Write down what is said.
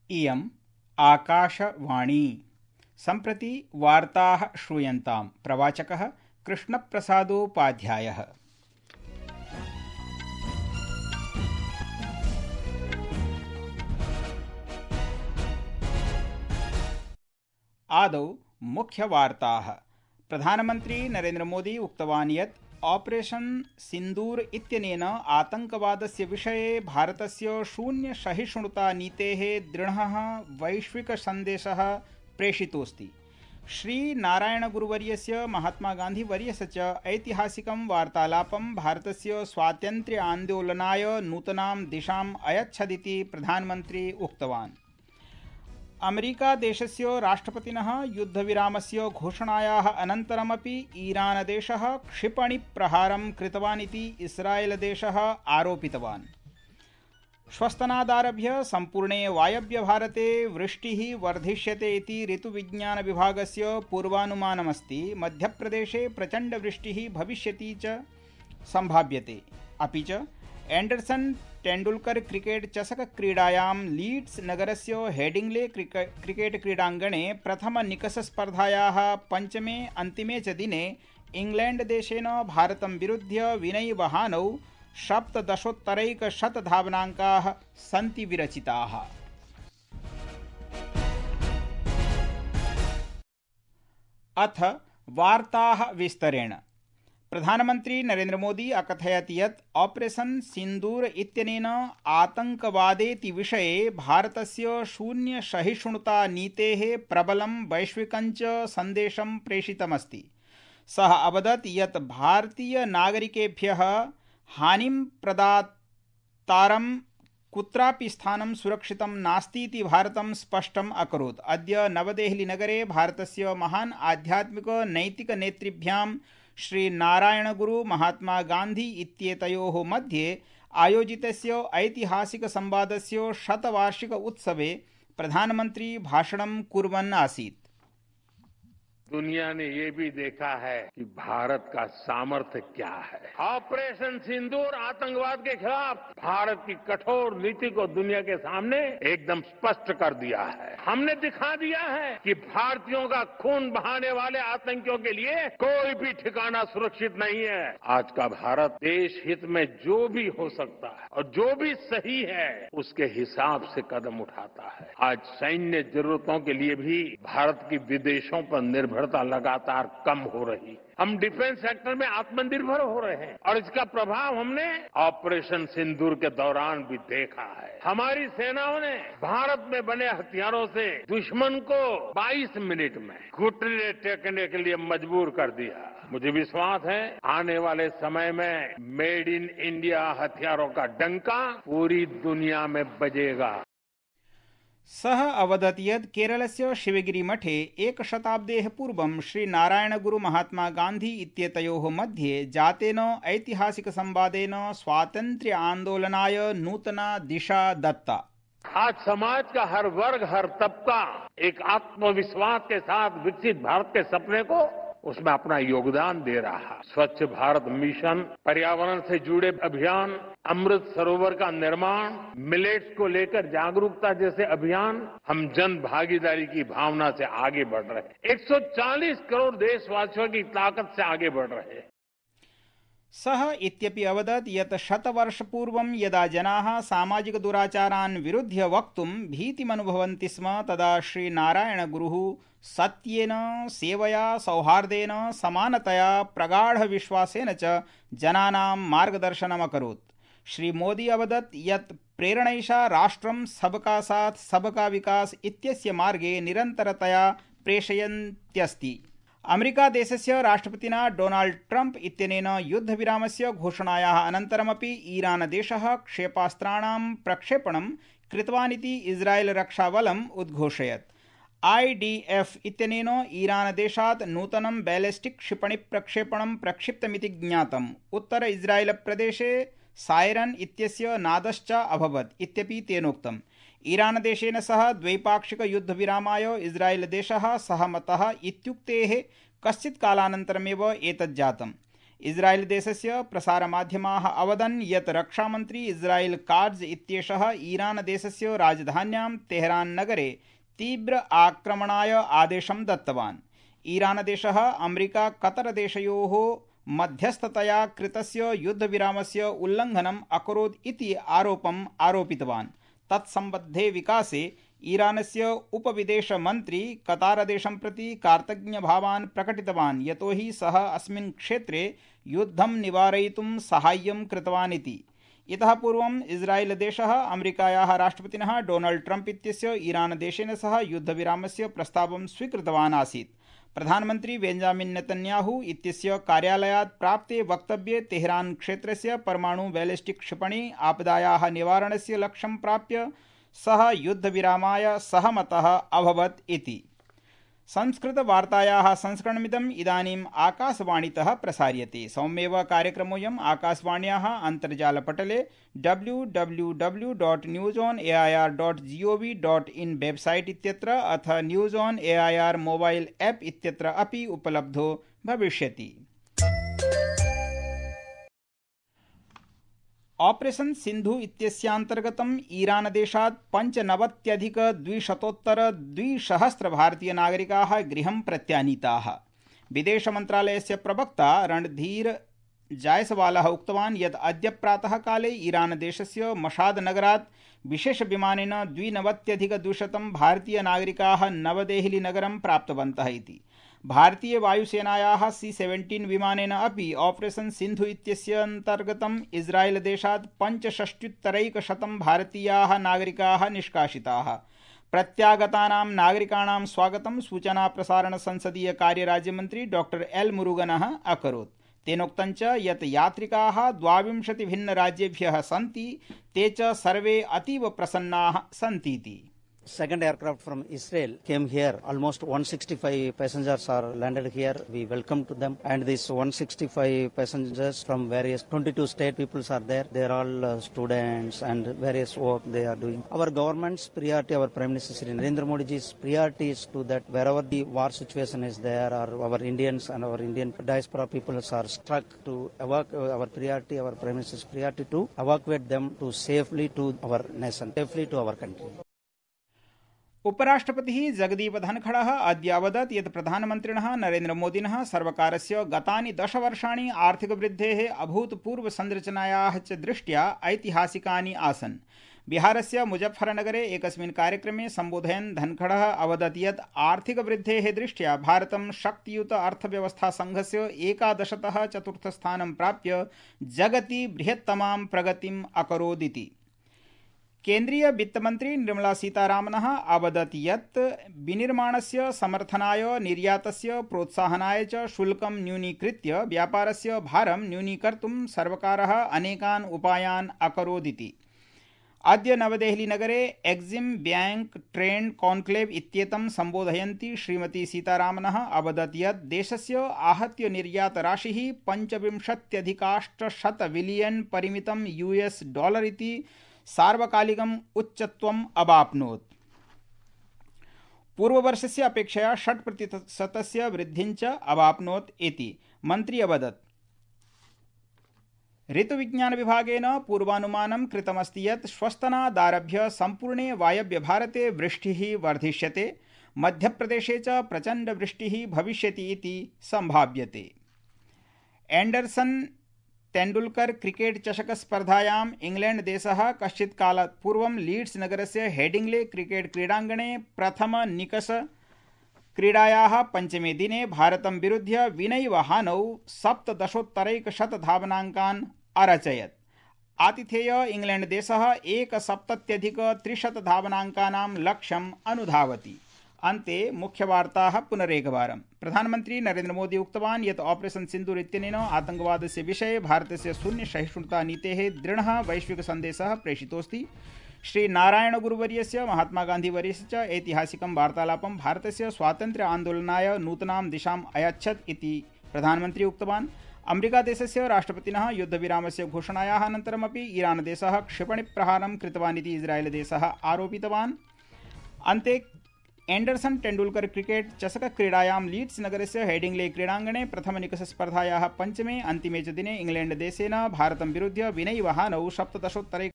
इयम् आकाशवाणी। सम्प्रति वार्ताः श्रूयन्ताम्। प्रवाचकः कृष्णप्रसादोपाध्यायः। आदौ मुख्यवार्ताः। प्रधानमन्त्री नरेन्द्र मोदी उक्तवान् यत् ऑपरेशन सिन्दूर इत्यनेन आतंकवादस्य विषये भारतस्य शून्यसहिष्णुतानीतेः दृढः वैश्विकसन्देशः प्रेषितोऽस्ति। श्रीनारायणगुरुवर्यस्य महात्मागान्धिवर्यस्य च ऐतिहासिकं वार्तालापं भारतस्य स्वातन्त्र्यान्दोलनाय नूतनां दिशाम् अयच्छदिति प्रधानमन्त्री उक्तवान्। अमेरिकादेशस्य राष्ट्रपतिनः युद्धविरामस्य घोषणायाः अनन्तरमपि ईरानदेशः क्षिपणिप्रहारं कृतवान् इति इस्रायेलदेशः आरोपितवान्। श्वस्तनादारभ्य सम्पूर्णे वायव्यभारते वृष्टिः वर्धिष्यते इति ऋतुविज्ञानविभागस्य पूर्वानुमानमस्ति। मध्यप्रदेशे प्रचण्डवृष्टिः भविष्यति च सम्भाव्यते। अपि च एण्डरसन तेण्डुल्कर क्रिकेट चषक क्रीडायां लीड्स नगरस्य हेडिंग्ले क्रिकेट क्रीडाङ्गणे प्रथमनिकषस्पर्धायाः पञ्चमे अन्तिमे च दिने इंग्लैण्डदेशेन भारतं विरुध्य विनयवहानौ 17 धावनाङ्काः सन्ति विरचिताः। अथ वार्ताः विस्तरेण। प्रधानमन्त्री नरेन्द्र मोदी अकथयत् यत् ऑपरेशन सिन्दूर इत्यनेन आतंकवादेति विषये भारतस्य शून्यसहिष्णुतानीतेः प्रबलं वैश्विकञ्च सन्देशं प्रेषितमस्ति। सः अवदत् यत् भारतीयनागरिकेभ्यः हानिं प्रदातारं कुत्रापि स्थानं सुरक्षितं नास्तीति भारतं स्पष्टम् अकरोत्। अद्य नवदेहलीनगरे भारतस्य महान् आध्यात्मिक नैतिक नेतृभ्यां श्री नारायणगुरु महात्मा गान्धी इत्येतयोः मध्ये आयोजितस्य ऐतिहासिक संवादस्य शतवार्षिक उत्सवे प्रधानमन्त्री भाषणं कुर्वन् आसीत्। दुनिया ने ये भी देखा है कि भारत का सामर्थ्य क्या है। ऑपरेशन सिंदूर आतंकवाद के खिलाफ भारत की कठोर नीति को दुनिया के सामने एकदम स्पष्ट कर दिया है। हमने दिखा दिया है कि भारतीयों का खून बहाने वाले आतंकियों के लिए कोई भी ठिकाना सुरक्षित नहीं है। आज का भारत देश हित में जो भी हो सकता है और जो भी सही है उसके हिसाब से कदम उठाता है। आज सैन्य जरूरतों के लिए भी भारत की विदेशों पर निर्भरता लगातार कम हो रही। हम डिफेंस सेक्टर में आत्मनिर्भर हो रहे हैं और इसका प्रभाव हमने ऑपरेशन सिंदूर के दौरान भी देखा है। हमारी सेनाओं ने भारत में बने हथियारों से दुश्मन को 22 मिनट में घुटने टेकने के लिए मजबूर कर दिया। मुझे विश्वास है आने वाले समय में मेड इन इंडिया हथियारों का डंका पूरी दुनिया में बजेगा। सः अवदत् यत् केरलस्य शिवगिरिमठे एकशताब्देः पूर्वं श्रीनारायणगुरु महात्मा गान्धी इत्येतयोः मध्ये जातेन ऐतिहासिकसंवादेन स्वातन्त्र्य आन्दोलनाय नूतना दिशा दत्ता। आज समाज का हर वर्ग हर तबका एक आत्मविश्वास के साथ विकसित भारत के सपने को उसमें अपना योगदान दे रहा है। स्वच्छ भारत मिशन, पर्यावरण से जुड़े अभियान, अमृत सरोवर का निर्माण, मिलेट्स को लेकर जागरूकता जैसे अभियान, हम जन भागीदारी की भावना से आगे बढ़ रहे हैं। 140 करोड़ देशवासियों की ताकत से आगे बढ़ रहे हैं। सः इत्यपि अवदत् यत् शतवर्षपूर्वं यदा जनाः सामाजिक दुराचारान् विरुध्य वक्तुं भीतिमनुभवन्ति स्म तदा श्रीनारायणगुरुः सत्येन, सेवया, सौहार्देन, समानतया, प्रगाढविश्वासेन च जनानां मार्गदर्शनमकरोत्। श्री मोदी अवदत् यत् प्रेरणैषा राष्ट्रं सबका साथ सबका विकास इत्यस्य मार्गे निरन्तरतया प्रेषयन्त्यस्ति। अमेरिकादेशस्य राष्ट्रपतिना डोनाल्ड ट्रम्प इत्यनेन युद्धविरामस्य घोषणायाः अनन्तरमपि ईरानदेशः क्षेपास्त्राणां प्रक्षेपणं कृतवानिति इस्रायेल रक्षाबलम् उद्घोषयत्। IDF इत्यनेन ईरानदेशात् नूतनं बैलिस्टिक क्षिपणिप्रक्षेपणं प्रक्षिप्तमिति ज्ञातम्। उत्तर इस्रायेल प्रदेशे सायरन इत्यस्य नादश्च अभवत् इत्यपि तेनोक्तम्। ईरानदेशेन सह द्वैपाक्षिक युद्धविरामाय इस्रायेलदेशः सहमतः इत्युक्तेः कश्चित् कालानन्तरमेव एतज्जातम्। इस्राएल देशस्य प्रसारमाध्यमाः अवदन् यत् रक्षामन्त्री इस्राएल काट्ज इत्येषः ईरान देशस्य राजधान्यां तेहरान नगरे तीव्र आक्रमणाय आदेशं दत्तवान्। ईरान देशः अमेरिका कतर देशयोः मध्यस्थतया कृतस्य युद्धविरामस्य उल्लङ्घनम् अकरोत् इति आरोपम् आरोपितवान्। तत्सम्बद्धे विकासे ईरानस्य उपविदेशमन्त्री कतारदेशं प्रति कार्तज्ञभावान् प्रकटितवान्, यतोहि सः अस्मिन् क्षेत्रे युद्धं निवारयितुं साहाय्यं कृतवान् इति। इतः पूर्वम् इस्राएल देशः अमेरिकायाः राष्ट्रपतिनः डोनाल्ड ट्रम्प इत्यस्य ईरान देशेन सह युद्धविरामस्य प्रस्तावं स्वीकृतवान् आसीत्। प्रधानमन्त्री बेंजामिन नेतन्याहू इत्यस्य कार्यालयात् प्राप्ते वक्तव्ये तेहरान क्षेत्रस्य परमाणु बैलिस्टिक क्षिपणी आपदायाः निवारणस्य लक्ष्यं प्राप्य सः युद्धविरामाय सहमतः अभवत् इति। संस्कृतवार्तायाः संस्करणमिदम् इदानीम् आकाशवाणीतः प्रसार्यते। सौम्येव कार्यक्रमोऽयम् आकाशवाण्याः अन्तर्जालपटले www.newsonair.gov.in वेबसाइट इत्यत्र अथ news on AIR mobile app इत्यत्र अपि उपलब्धो भविष्यति। ऑपरेशन सिन्धु इत्यस्यान्तर्गतम् ईरान देशात् 95,200 भारतीयनागरिकाः गृहं प्रत्यानीताः। विदेशमन्त्रालयस्य प्रवक्ता रणधीर जायसवालः उक्तवान् यत् अद्य प्रातः काले ईरान देशस्य मशाद नगरात् विशेषविमानेन 92,200 भारतीयनागरिकाः नवदेहली नगरं प्राप्तवन्तः इति। भारतीय वायुसेनायाः C-17 विमानेन अपि ऑपरेशन सिन्धु इत्यस्यान्तर्गतम् इस्राएल देशात् 65,100 भारतीयाः नागरिकाः निष्कासिताः। प्रत्यागतानां नागरिकाणां स्वागतं सूचना प्रसारण संसदीय कार्य राज्यमन्त्री डॉक्टर एल मुरुगनः अकरोत्। तेनोक्तं च यत् यात्रिकाः 22 भिन्नराज्येभ्यः सन्ति, ते च सर्वे अतीव प्रसन्नाः सन्तीति। Second aircraft from Israel came here. Almost 165 passengers are landed here. We welcome to them. And these 165 passengers from various 22 state peoples are there. They are all students and various work they are doing. Our government's priority, our Prime Minister Shri Narendra Modi ji's priority is to that wherever the war situation is there, or our Indians and our Indian diaspora peoples are struck, to evacuate. Our priority, our Prime Minister's priority to evacuate them to safely to our nation, safely to our country. उपराष्ट्रपतिः Jagdeep धनखडः अद्य अवदत् यत् प्रधानमन्त्रिणः नरेन्द्रमोदिनः सर्वकारस्य गतानि 10 वर्षाणि आर्थिकवृद्धेः अभूतपूर्वसंरचनायाः च दृष्ट्या ऐतिहासिकानि आसन्। बिहारस्य मुजफ्फरनगरे एकस्मिन् कार्यक्रमे सम्बोधयन् धनखडः अवदत् यत् आर्थिकवृद्धेः दृष्ट्या भारतं शक्तियुत अर्थव्यवस्थासङ्घस्य 11तः चतुर्थस्थानं प्राप्य जगति बृहत्तमां प्रगतिम् अकरोदिति। केन्द्रीय वित्तमन्त्री निर्मला सीतारामनः अवदत् यत् विनिर्माणस्य समर्थनाय, निर्यातस्य प्रोत्साहनाय च शुल्कं न्यूनीकृत्य व्यापारस्य भारं न्यूनीकर्तुं सर्वकारः अनेकान् उपायान् अकरोदिति। अद्य नवदेहलीनगरे एक्सिम् बैंक ट्रेंड कॉन्क्लेव इत्येतं सम्बोधयन्ती श्रीमती सीतारामनः अवदत् यत् देशस्य आहत्य निर्यातराशिः 25,800 बिलियन् परिमितं $US इति सार्वकालिकम् उच्चत्वम् अवाप्नोत्। पूर्ववर्षस्य अपेक्षया 6% वृद्धिं च अवाप्नोत् इति मन्त्री अवदत्। ऋतुविज्ञानविभागेन पूर्वानुमानं कृतमस्ति यत् श्वस्तनादारभ्य सम्पूर्णे वायव्य भारते वृष्टिः वर्धिष्यते, मध्यप्रदेशे च प्रचण्डवृष्टिः भविष्यति इति सम्भाव्यते। एण्डरसन तेण्डुल्कर क्रिकेट चषक स्पर्धायाम् इंग्लैंड देशः कश्चित् कालात् पूर्वं लीड्स नगरस्य हेडिंग्ले क्रिकेट क्रीडाङ्गणे प्रथम निकष क्रीडायाः पञ्चमे दिने भारतं विरुध्य विनैव हानौ 17 धावनाङ्कान् अरचयत्। आतिथेय इंग्लैंड देशः 71 धावनाङ्कानां लक्ष्यम् अनुधावति। अन्ते मुख्यवार्ताः पुनरेकवारम्। प्रधानमन्त्री नरेन्द्र मोदी उक्तवान् यत् ऑपरेशन सिन्दूर इत्यनेन आतङ्कवादस्य विषये भारतस्य शून्यसहिष्णुता नीतेः दृढः वैश्विक सन्देशः प्रेषितोऽस्ति। श्री नारायण गुरुवर्यस्य, महात्मा गान्धीवर्यस्य च ऐतिहासिकं वार्तालापं भारतस्य स्वातन्त्र्य आन्दोलनाय नूतनां दिशाम् अयच्छत् इति प्रधानमन्त्री उक्तवान्। अमेरिका देशस्य राष्ट्रपतिनः युद्धविरामस्य घोषणायाः अनन्तरमपि ईरान देशः क्षिपणिप्रहारं कृतवान् इति इस्राएल देशः आरोपितवान्। अन्ते एण्डरसन टेण्डुलकर क्रिकेट चषक क्रीडायां लीड्स नगरस्य हेडिंग्ले क्रीडाङ्गणे प्रथमनिकषस्पर्धायाः पञ्चमे अन्तिमे च दिने इंग्लैण्ड देशेन भारतं विरुध्य विनयिवहानौ 17